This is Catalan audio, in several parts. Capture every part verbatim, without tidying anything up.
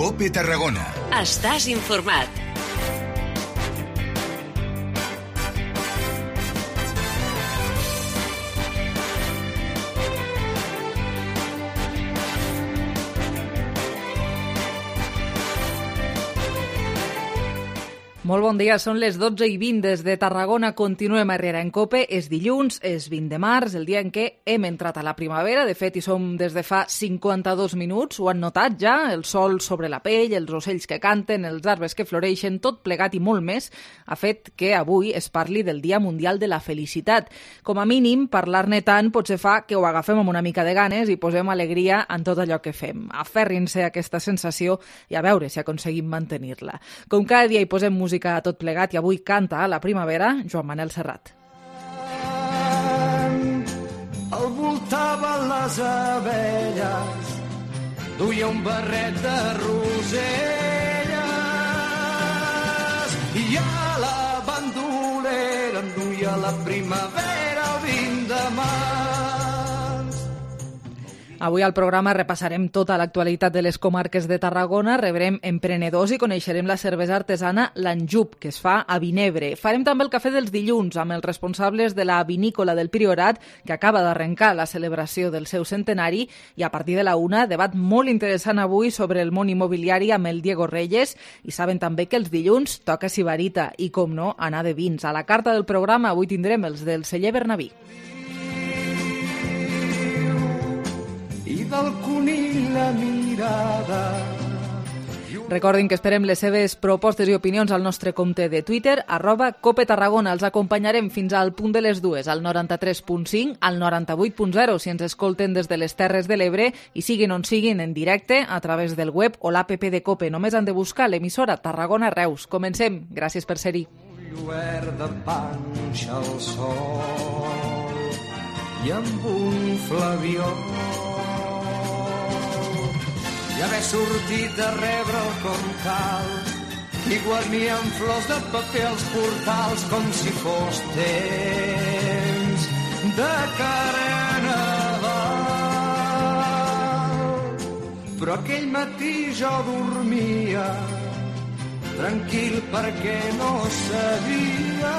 COPE Tarragona. Estàs informat. Molt bon dia, són les dotze i vint des de Tarragona, continuem a Herrera en COPE, és dilluns, és vint de març, el dia en què hem entrat a la primavera, de fet hi som des de fa cinquanta-dos minuts, ho han notat ja, el sol sobre la pell, els ocells que canten, els arbres que floreixen, tot plegat i molt més, ha fet que avui es parli del Dia Mundial de la Felicitat. Com a mínim, parlar-ne tant potser fa que ho agafem amb una mica de ganes i posem alegria en tot allò que fem. Aferrin-se a aquesta sensació i a veure si aconseguim mantenir-la. Com cada dia hi posem música a tot plegat i avui canta a la primavera Joan Manel Serrat. El voltaven les abelles, duia un barret de roselles i a la bandolera em duia la primavera el vint de març. Avui al programa repassarem tota l'actualitat de les comarques de Tarragona, rebrem emprenedors i coneixerem la cervesa artesana l'Anjup, que es fa a Vinebre. Farem també el cafè dels dilluns amb els responsables de la vinícola del Priorat, que acaba d'arrencar la celebració del seu centenari, i a partir de la una, debat molt interessant avui sobre el món immobiliari amb el Diego Reyes, i saben també que els dilluns toca Sibarita i, com no, anar de vins. A la carta del programa avui tindrem els del celler Bernabí. I del conill la mirada. Recordin que esperem les seves propostes i opinions al nostre compte de Twitter, arroba Cope Tarragona. Els acompanyarem fins al punt de les dues, al noranta-tres punt cinc, al noranta-vuit punt zero, si ens escolten des de les Terres de l'Ebre, i siguin on siguin en directe a través del web o l'app de Cope. Només han de buscar l'emissora Tarragona Reus. Comencem. Gràcies per ser-hi. Lluert de panxa al sol i amb un flabió i haver sortit a rebre el com cal i guarnir amb flors de paper els portals com si fos temps de Carnaval. Però aquell matí jo dormia tranquil perquè no sabia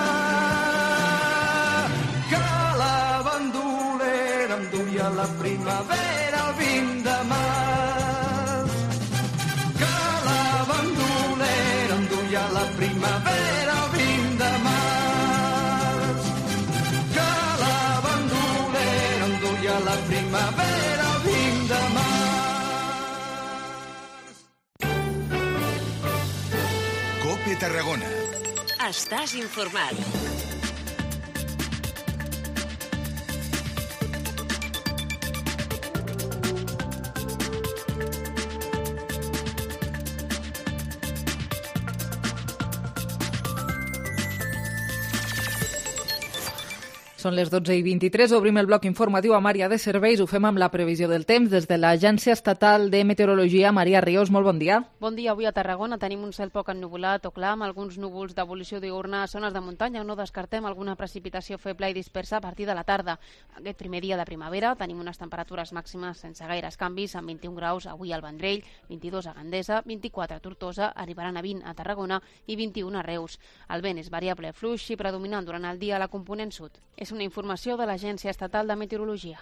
que la bandolera em duia la primavera el vint de març. La primavera el vint de març, que la bandolera em duia la primavera el vint de març. COPE Tarragona. Estàs informat. Són les dotze i vint-i-tres, obrim el bloc informatiu a Maria de Serveis, ho fem amb la previsió del temps des de l'Agència Estatal de Meteorologia. Maria Ríos, molt bon dia. Bon dia, avui a Tarragona tenim un cel poc ennuvolat o clar, amb alguns núvols d'evolució diürna a zones de muntanya, on no descartem alguna precipitació feble i dispersa a partir de la tarda. Aquest primer dia de primavera tenim unes temperatures màximes sense gaires canvis, amb vint-i-un graus avui al Vendrell, vint-i-dos a Gandesa, vint-i-quatre a Tortosa, arribaran a vint a Tarragona i vint-i-un a Reus. El vent és variable fluix i predominant durant el dia a la component sud. És una informació de l'Agència Estatal de Meteorologia.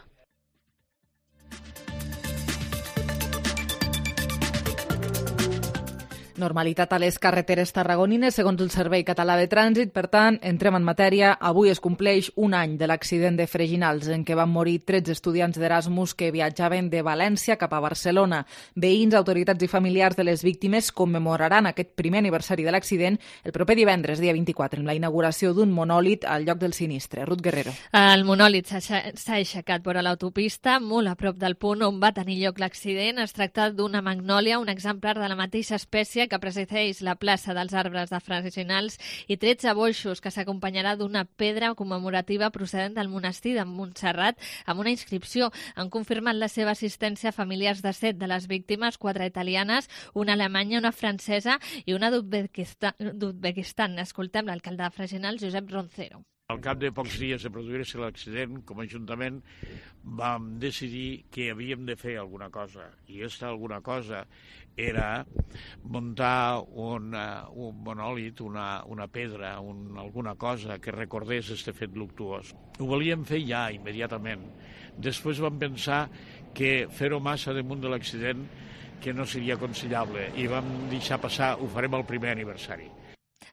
Normalitat a les carreteres tarragonines, segons el Servei Català de Trànsit. Per tant, entrem en matèria. Avui es compleix un any de l'accident de Freginals, en què van morir tretze estudiants d'Erasmus que viatjaven de València cap a Barcelona. Veïns, autoritats i familiars de les víctimes commemoraran aquest primer aniversari de l'accident el proper divendres, dia vint-i-quatre, amb la inauguració d'un monòlit al lloc del sinistre. Ruth Guerrero. El monòlit s'ha aixecat vora l'autopista, molt a prop del punt on va tenir lloc l'accident. Es tracta d'una magnòlia, un exemplar de la mateixa espècie que presideix la plaça dels arbres de Freginals, i tretze boixos, que s'acompanyarà d'una pedra commemorativa procedent del monestir de Montserrat amb una inscripció. Han confirmat la seva assistència a familiars de set de les víctimes, quatre italianes, una alemanya, una francesa i una d'Uzbekistan. Escoltem l'alcalde de Freginals, Josep Roncero. Al cap de pocs dies de produir-se l'accident, com a Ajuntament, vam decidir que havíem de fer alguna cosa. I aquesta alguna cosa era muntar una, un monòlit, una, una pedra, un, alguna cosa que recordés este fet luctuós. Ho volíem fer ja, immediatament. Després vam pensar que fer-ho massa damunt de l'accident que no seria aconsellable i vam deixar passar, ho farem al primer aniversari.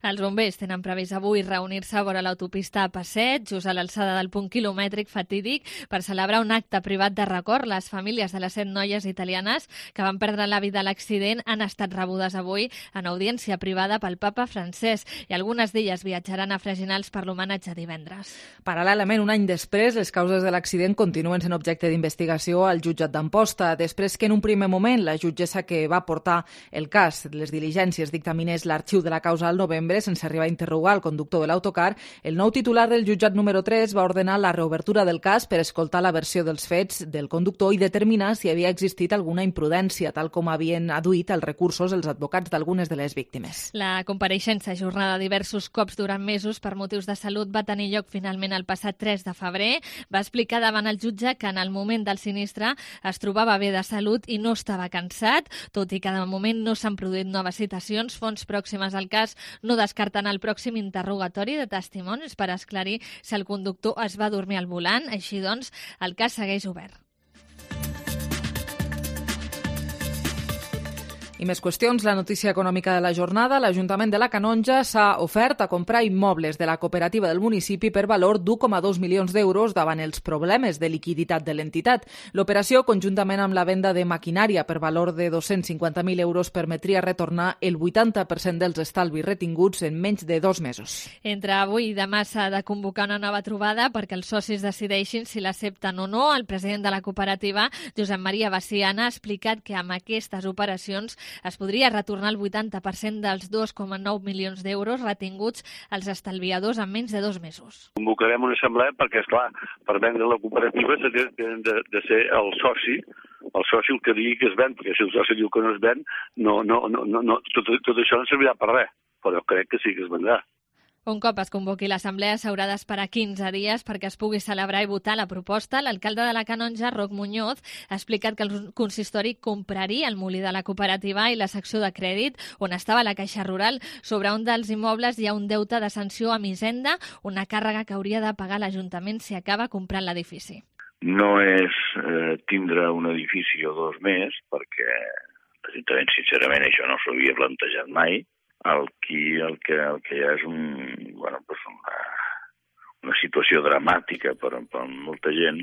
Els bombers tenen previst avui reunir-se a vora l'autopista A P set, just a l'alçada del punt quilomètric fatídic, per celebrar un acte privat de record. Les famílies de les set noies italianes que van perdre la vida a l'accident han estat rebudes avui en audiència privada pel papa Francesc i algunes d'elles viatjaran a Freginals per l'homenatge divendres. Paral·lelament, un any després, les causes de l'accident continuen sent objecte d'investigació al jutjat d'Amposta, després que en un primer moment la jutgessa que va portar el cas, les diligències, dictaminés l'arxiu de la causa al novembre sense arribar a interrogar el conductor de l'autocar, el nou titular del jutjat número tres va ordenar la reobertura del cas per escoltar la versió dels fets del conductor i determinar si havia existit alguna imprudència, tal com havien adduït els recursos els advocats d'algunes de les víctimes. La compareixença ajornada diversos cops durant mesos per motius de salut va tenir lloc finalment el passat tres de febrer. Va explicar davant el jutge que en el moment del sinistre es trobava bé de salut i no estava cansat, tot i que de moment no s'han produït noves citacions. Fonts pròximes al cas no descarten el pròxim interrogatori de testimonis per esclarir si el conductor es va dormir al volant. Així doncs, el cas segueix obert. I més qüestions, la notícia econòmica de la jornada. L'Ajuntament de la Canonja s'ha ofert a comprar immobles de la cooperativa del municipi per valor d'u coma dos milions d'euros davant els problemes de liquiditat de l'entitat. L'operació, conjuntament amb la venda de maquinària per valor de dos-cents cinquanta mil euros, permetria retornar el vuitanta per cent dels estalvis retinguts en menys de dos mesos. Entre avui i demà s'ha de convocar una nova trobada perquè els socis decideixin si l'accepten o no. El president de la cooperativa, Josep Maria Baciana, ha explicat que amb aquestes operacions es podria retornar el vuitanta per cent dels dos coma nou milions d'euros retinguts als estalviadors en menys de dos mesos. Convocarem una assemblea perquè, esclar, per vendre la cooperativa tenen de, de ser el soci, el soci el que digui que es ven, perquè si el soci diu que no es ven, no, no, no, no, no, tot, tot això no servirà per res, però crec que sí que es vendrà. Un cop es convoqui l'assemblea s'haurà d'esperar quinze dies perquè es pugui celebrar i votar la proposta. L'alcalde de la Canonja, Roc Muñoz, ha explicat que el consistori compraria el molí de la cooperativa i la secció de crèdit on estava la Caixa Rural. Sobre un dels immobles hi ha un deute de sanció a Hisenda, una càrrega que hauria de pagar l'Ajuntament si acaba comprant l'edifici. No és eh, tindre un edifici o dos més, perquè l'Ajuntament, sincerament, això no s'havia plantejat mai. El que, el que, el que hi ha és un, bueno, pues una, una situació dramàtica per, per molta gent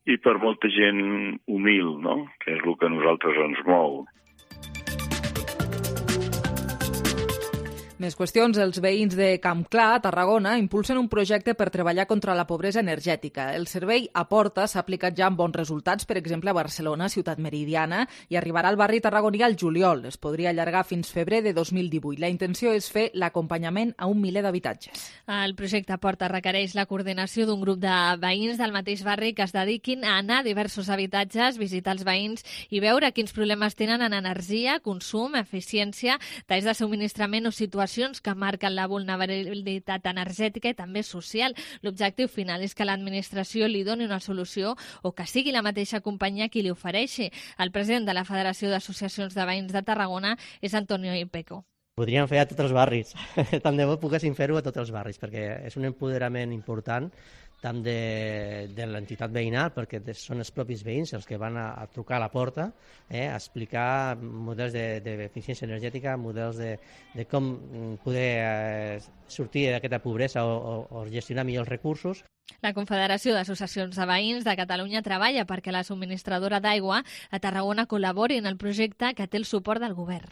i per molta gent humil, no? Que és el que a nosaltres ens mou. Més qüestions. Els veïns de Campclar, a Tarragona, impulsen un projecte per treballar contra la pobresa energètica. El servei Aporta s'ha aplicat ja amb bons resultats, per exemple, a Barcelona, ciutat meridiana, i arribarà al barri tarragoní al juliol. Es podria allargar fins febrer de dos mil divuit. La intenció és fer l'acompanyament a un miler d'habitatges. El projecte Aporta requereix la coordinació d'un grup de veïns del mateix barri que es dediquin a anar a diversos habitatges, visitar els veïns i veure quins problemes tenen en energia, consum, eficiència, talls de subministrament o situacions que marquen la vulnerabilitat energètica i també social. L'objectiu final és que l'administració li doni una solució o que sigui la mateixa companyia qui li ofereixi. El president de la Federació d'Associacions de Veïns de Tarragona és Antonio Ipeco. Podríem fer a tots els barris. Tant de bo poguéssim fer-ho a tots els barris, perquè és un empoderament important tant de, de l'entitat veïnal, perquè són els propis veïns els que van a, a trucar a la porta, eh, a explicar models d'eficiència de, energètica, models de, de com poder eh, sortir d'aquesta pobresa o, o, o gestionar millor els recursos. La Confederació d'Associacions de Veïns de Catalunya treballa perquè la subministradora d'aigua a Tarragona col·labori en el projecte que té el suport del govern.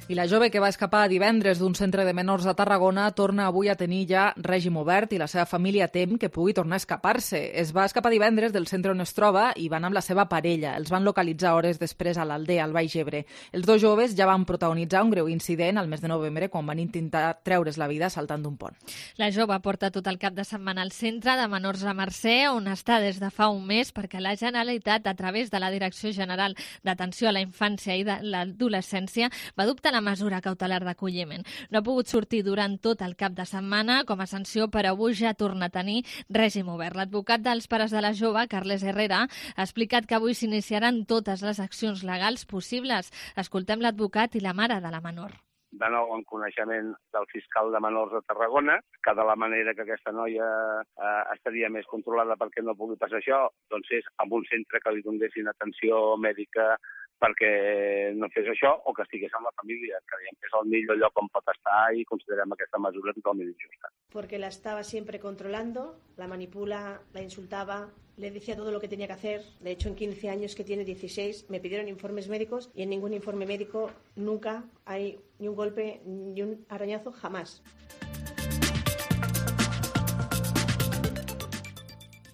I la jove que va escapar divendres d'un centre de menors a Tarragona torna avui a tenir ja règim obert i la seva família tem que pugui tornar a escapar-se. Es va escapar divendres del centre on es troba i van amb la seva parella. Els van localitzar hores després a l'Aldea, al Baix Ebre. Els dos joves ja van protagonitzar un greu incident al mes de novembre quan van intentar treure's la vida saltant d'un pont. La jove porta tot el cap de setmana al centre de menors a Mercè, on està des de fa un mes perquè la Generalitat, a través de la Direcció General d'Atenció a la Infància i de l'Adolescència, va adoptar la mesura cautelar d'acolliment. No ha pogut sortir durant tot el cap de setmana. Com a sanció per avui ja torna a tenir règim obert. L'advocat dels pares de la jove, Carles Herrera, ha explicat que avui s'iniciaran totes les accions legals possibles. Escoltem l'advocat i la mare de la menor. De nou en coneixement del fiscal de menors de Tarragona, que de la manera que aquesta noia eh, estaria més controlada perquè no pugui passar això, doncs és amb un centre que li donessin atenció mèdica perquè no fes això o que estigués amb la família. Creiem que és el millor lloc on pot estar i considerem aquesta mesura totalment injusta. Porque la estaba siempre controlando, la manipula, la insultaba, le decía todo lo que tenía que hacer. De hecho, en quince años que tiene, dieciséis, me pidieron informes médicos y en ningún informe médico nunca hay ni un golpe ni un arañazo, jamás.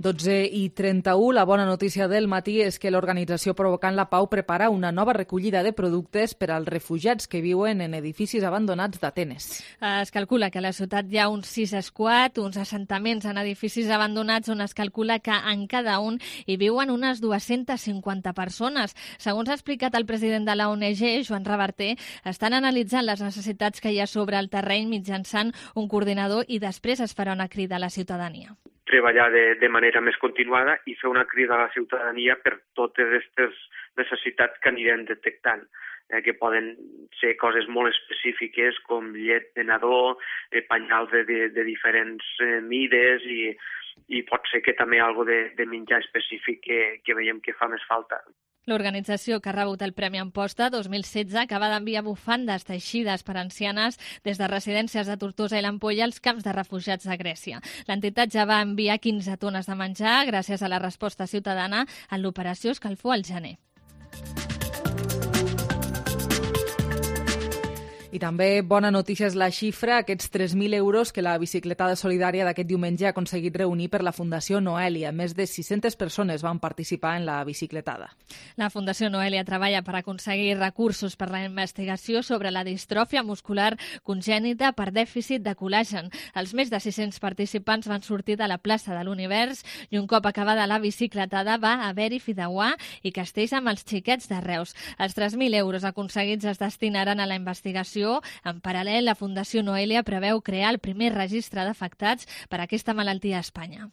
dotze i trenta-u, la bona notícia del matí és que l'organització Provocant la Pau prepara una nova recollida de productes per als refugiats que viuen en edificis abandonats d'Atenes. Es calcula que a la ciutat hi ha uns sis squats, uns assentaments en edificis abandonats on es calcula que en cada un hi viuen unes dues-centes cinquanta persones. Segons ha explicat el president de la O N G, Joan Reverter, estan analitzant les necessitats que hi ha sobre el terreny mitjançant un coordinador i després es farà una crida a la ciutadania. Treballar de, de manera més continuada i fer una crida a la ciutadania per totes aquestes necessitats que anirem detectant, eh, que poden ser coses molt específiques com llet de nadó, eh, penyals de, de, de diferents eh, mides i, i pot ser que també algo de, de menjar específic que, que veiem que fa més falta. L'organització que ha rebut el Premi Amposta dos mil setze acaba d'enviar bufandes teixides per ancianes des de residències de Tortosa i l'Ampolla als camps de refugiats de Grècia. L'entitat ja va enviar quinze tones de menjar gràcies a la resposta ciutadana en l'operació Escalfor al gener. I també bona notícia és la xifra, aquests tres mil euros que la bicicletada solidària d'aquest diumenge ha aconseguit reunir per la Fundació Noelia. Més de sis-centes persones van participar en la bicicletada. La Fundació Noelia treballa per aconseguir recursos per la investigació sobre la distròfia muscular congènita per dèficit de col·làgen. Els més de sis-cents participants van sortir de la plaça de l'Univers i un cop acabada la bicicletada va haver-hi fideuà i castells amb els xiquets de Reus. Els tres mil euros aconseguits es destinaran a la investigació. En paral·lel, la Fundació Noelia preveu crear el primer registre d'afectats per a aquesta malaltia a Espanya.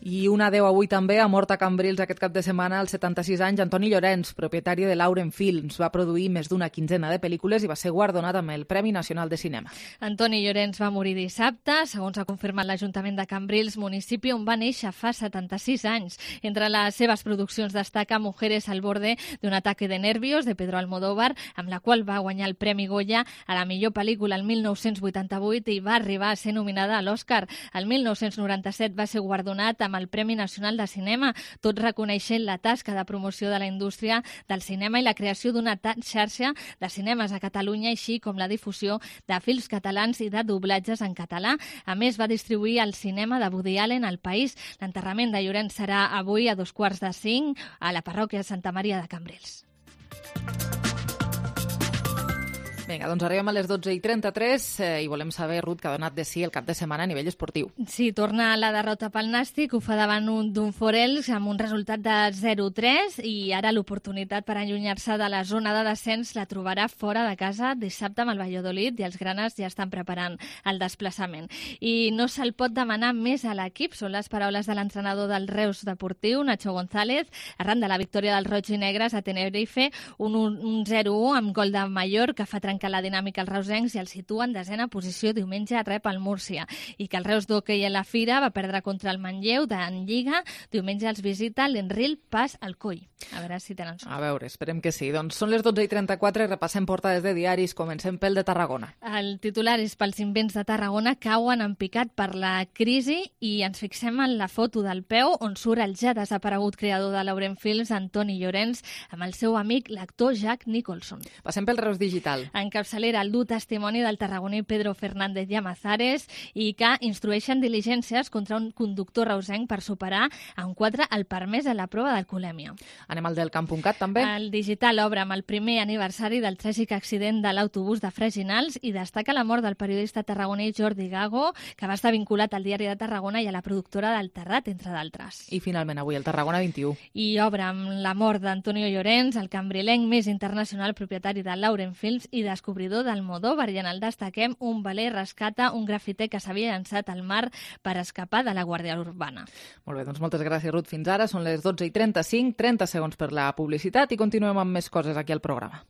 I un adeu avui també ha mort a Cambrils aquest cap de setmana als setanta-sis anys Antoni Llorens, propietari de Lauren Films. Va produir més d'una quinzena de pel·lícules i va ser guardonat amb el Premi Nacional de Cinema. Antoni Llorens va morir dissabte, segons ha confirmat l'Ajuntament de Cambrils, municipi on va néixer fa setanta-sis anys. Entre les seves produccions destaca Mujeres al borde d'un ataque de nervios, de Pedro Almodóvar, amb la qual va guanyar el Premi Goya a la millor pel·lícula el mil nou-cents vuitanta-vuit i va arribar a ser nominada a l'Oscar. El mil nou-cents noranta-set va ser guardonat amb el Premi Nacional de Cinema, tot reconeixent la tasca de promoció de la indústria del cinema i la creació d'una xarxa de cinemes a Catalunya, així com la difusió de films catalans i de doblatges en català. A més, va distribuir el cinema de Woody Allen al país. L'enterrament de Llorens serà avui a dos quarts de cinc a la parròquia de Santa Maria de Cambrils. Vinga, doncs arribem a les dotze i trenta-tres eh, i volem saber, Ruth, que ha donat de sí el cap de setmana a nivell esportiu. Sí, torna la derrota pel Nàstic, ho fa davant un, d'un Forels amb un resultat de zero tres i ara l'oportunitat per allunyar-se de la zona de descens la trobarà fora de casa dissabte amb el Valladolid i els granes ja estan preparant el desplaçament. I no se'l pot demanar més a l'equip, són les paraules de l'entrenador del Reus Deportiu, Nacho González, arran de la victòria dels Roig i Negres a Tenerife, un, un zero u amb gol de Mayor que fa trencar que la dinàmica als reusencs i el situa en desena posició. Diumenge rep el Múrcia. I que el Reus d'hoquei a la Fira va perdre contra el Manlleu en Lliga. Diumenge els visita l'Enril Pas al Coll. A veure si tenen sort. A veure, esperem que sí. Doncs són les dotze i trenta-quatre i repassem portades de diaris. Comencem pel de Tarragona. El titular és pels invents de Tarragona cauen en picat per la crisi i ens fixem en la foto del peu on surt el ja desaparegut creador de Lauren Films, Antoni Llorens, amb el seu amic, l'actor Jack Nicholson. Passem pel Reus Digital. En en capçalera el dur testimoni del tarragoní Pedro Fernández Llamazares i que instrueixen diligències contra un conductor reusenc per superar en quatre el permès a la prova d'alcoholèmia. Anem al del camp punt cat, també. El Digital obre amb el primer aniversari del tràgic accident de l'autobús de Freginals i destaca la mort del periodista tarragoní Jordi Gago, que va estar vinculat al Diari de Tarragona i a la productora del Terrat, entre d'altres. I finalment avui el Tarragona vint-i-u. I obre amb la mort d'Antonio Llorens, el cambrilenc més internacional, propietari de Lauren Films i descobridor d'Almodóvar. I en el destaquem un veler rescata un grafiter que s'havia llançat al mar per escapar de la Guàrdia Urbana. Molt bé, doncs moltes gràcies, Ruth. Fins ara són les dotze i trenta-cinc, trenta segons per la publicitat i continuem amb més coses aquí al programa.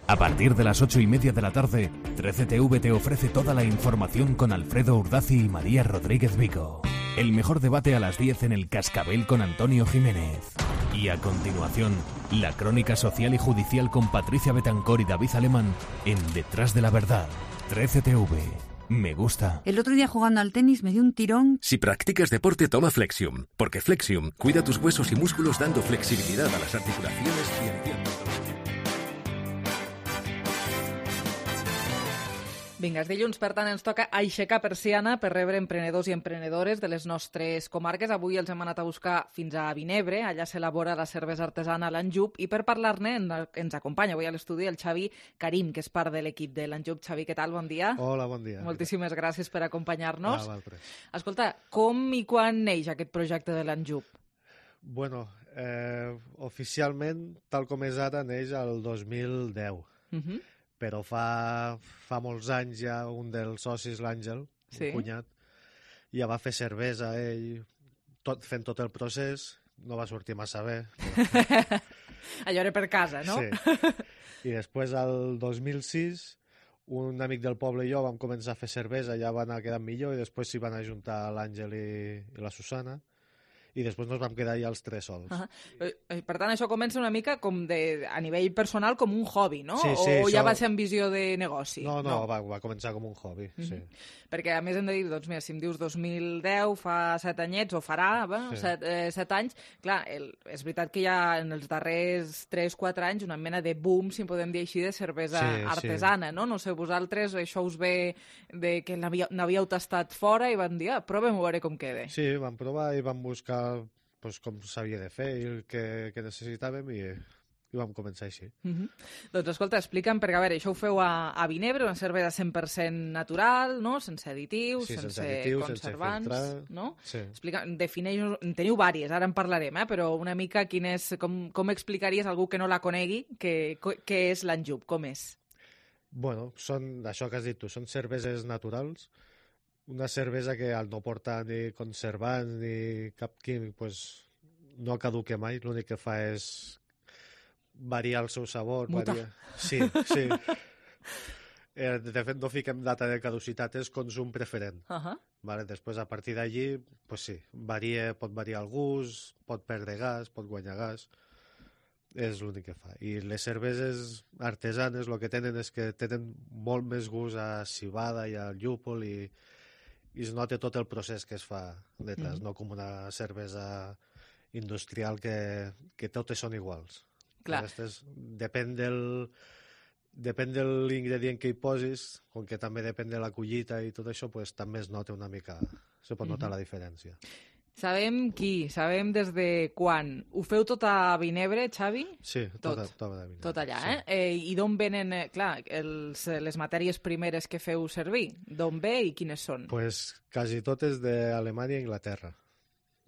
A partir de las ocho y media de la tarde, trece T V te ofrece toda la información con Alfredo Urdazi y María Rodríguez Vico. El mejor debate a las diez en el Cascabel con Antonio Jiménez. Y a continuación, la crónica social y judicial con Patricia Betancor y David Alemán en Detrás de la Verdad. trece T V. Me gusta. El otro día jugando al tenis me dio un tirón. Si practicas deporte, toma Flexium, porque Flexium cuida tus huesos y músculos dando flexibilidad a las articulaciones y aliviando. Vinga, és dilluns, per tant, ens toca aixecar persiana per rebre emprenedors i emprenedores de les nostres comarques. Avui els hem anat a buscar fins a Vinebre, allà s'elabora la cervesa artesana l'Anjup, i per parlar-ne ens acompanya avui a l'estudi el Xavi Karim, que és part de l'equip de l'Anjup. Xavi, què tal? Bon dia. Hola, bon dia. Moltíssimes gràcies per acompanyar-nos. Ah, val, Escolta, com i quan neix aquest projecte de l'Anjup? Bueno, eh, oficialment, tal com és ara, neix el dos mil deu. Uh -huh. Però fa, fa molts anys ja un dels socis, l'Àngel, sí. un cunyat, ja va fer cervesa ell, tot, fent tot el procés, no va sortir massa bé. Però... Allò era per casa, no? Sí. I després, el dos mil sis, un amic del poble i jo vam començar a fer cervesa, ja va anar quedant millor, i després s'hi van ajuntar l'Àngel i, i la Susana, i després nos vam quedar ja els tres sols. Uh -huh. Per tant, això comença una mica com de, a nivell personal com un hobby, no? Sí, sí, o això... ja va ser amb visió de negoci? No, no, no. Va, va començar com un hobby, uh -huh. sí. Perquè, a més, hem de dir, doncs, mira, si em dius dos mil deu, fa set anyets, o farà, va, sí. set, eh, set anys, clar, el, és veritat que hi ha en els darrers tres quatre anys una mena de boom, si en podem dir així, de cervesa sí, artesana, sí. no? No sé, vosaltres això us ve de que n'havíeu tastat fora i van dir, ah, provem a veure com queda. Sí, vam provar i vam buscar pues, com s'havia de fer i el que, que necessitàvem i, i vam començar així. Uh -huh. Doncs escolta, explica'm, perquè a veure, això ho feu a, a Vinebre, una cervesa cent per cent natural, no? Sense additius, sí, sense, sense additius, conservants, sense filtrar, no? Sí. Explica, defineix, en teniu vàries, ara en parlarem, eh? Però una mica quin és, com, com explicaries a algú que no la conegui què és l'Anjup, com és? Bueno, són, això que has dit tu, són cerveses naturals, una cervesa que al no portar ni conservants ni cap químic pues, no caduque mai, l'únic que fa és variar el seu sabor. Muta. Variar... Sí, sí. Eh, de fet, no fiquem data de caducitat, és consum preferent. Uh -huh. Vale, després, a partir d'allí, pues sí, varia, pot variar el gust, pot perdre gas, pot guanyar gas, és l'únic que fa. I les cerveses artesanes el que tenen és que tenen molt més gust a civada i al llúpol i, i es nota tot el procés que es fa detrás, mm. no com una cervesa industrial que, que totes són iguals. Clar. Aquestes, depèn del... Depèn de l'ingredient que hi posis, com que també depèn de la collita i tot això, pues, també es nota una mica, se pot notar mm-hmm. la diferència. Sabem qui, sabem des de quan. Ho feu tot a Vinebre, Xavi? Sí, tot, tot, tot a Vinebre. Tot allà, sí. eh? eh? I d'on venen, eh, clar, els, les matèries primeres que feu servir? D'on ve i quines són? Pues quasi totes d'Alemanya i Inglaterra.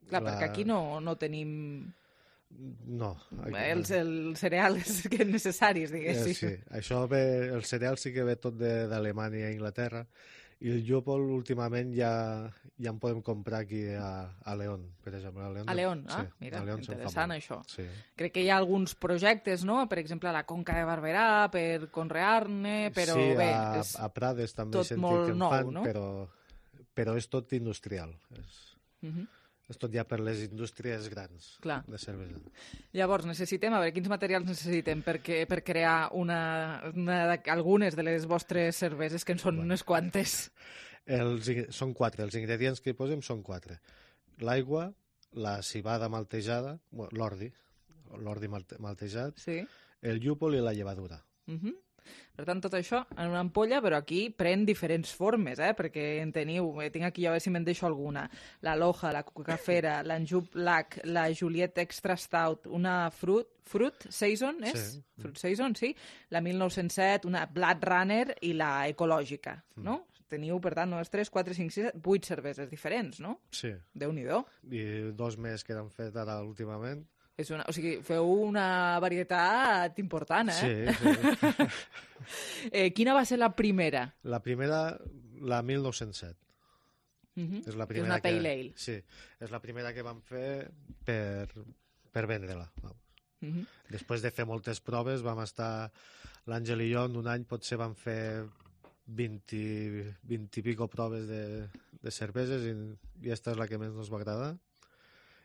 Clar, la... perquè aquí no, no tenim... No. Aquí... Els, els cereals que necessaris, diguéssim. Eh, sí, això ve, el cereal sí que ve tot d'Alemanya i Inglaterra, i el llúpol últimament ja, ja en podem comprar aquí a, a León, per exemple. A León, a León, sí, ah, mira, a León interessant això. Sí. Crec que hi ha alguns projectes, no?, per exemple, a la Conca de Barberà, per conrear-ne, però sí, bé... a, és a Prades també tot sentit molt que en nou, fan, no? però, però és tot industrial. És, uh -huh. és tot ja per les indústries grans Clar. de cervesa. Llavors, necessitem, a veure, quins materials necessitem per, que, per crear una, una, algunes de les vostres cerveses, que en són bueno. unes quantes? Els, són quatre, els ingredients que hi posem són quatre. L'aigua, la civada maltejada, l'ordi, l'ordi malte, maltejat, sí. el llúpol i la llevadura. Uh -huh. Per tant, tot això en una ampolla, però aquí pren diferents formes, eh? Perquè en teniu, eh, tinc aquí, a veure si me'n deixo alguna, la Loja, la Cucafera, l'Anjou Black, la Juliet Extra Stout, una Fruit, Fruit Saison, és? Sí. Fruit Saison, sí. La mil nou-cents set, una Blood Runner i la Ecològica, mm. no? Teniu, per tant, unes tres, quatre, cinc, sis, vuit cerveses diferents, no? Sí. Déu-n'hi-do. I dos més que han fet ara últimament. És una, o sigui, feu una varietat important, eh? Sí, sí. eh, quina va ser la primera? La primera, la mil nou-cents set. Uh -huh. És la primera és una que, pale ale. Sí, és la primera que vam fer per, per vendre-la. Uh -huh. Després de fer moltes proves, vam estar, l'Àngel i jo, en un any potser vam fer vint i pico proves de, de cerveses i, i esta és la que més ens va agradar.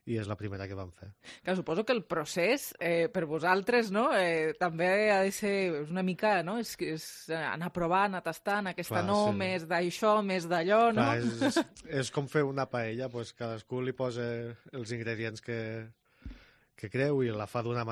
I és la primera que vam fer. Clar, suposo que el procés, eh, per vosaltres, no? eh, també ha de ser una mica, no? És, és anar provant, anar tastant, aquesta Clar, no, sí. més d'això, més d'allò, no? Clar, és, és com fer una paella, pues cadascú li posa els ingredients que, que creu i la fa d'una manera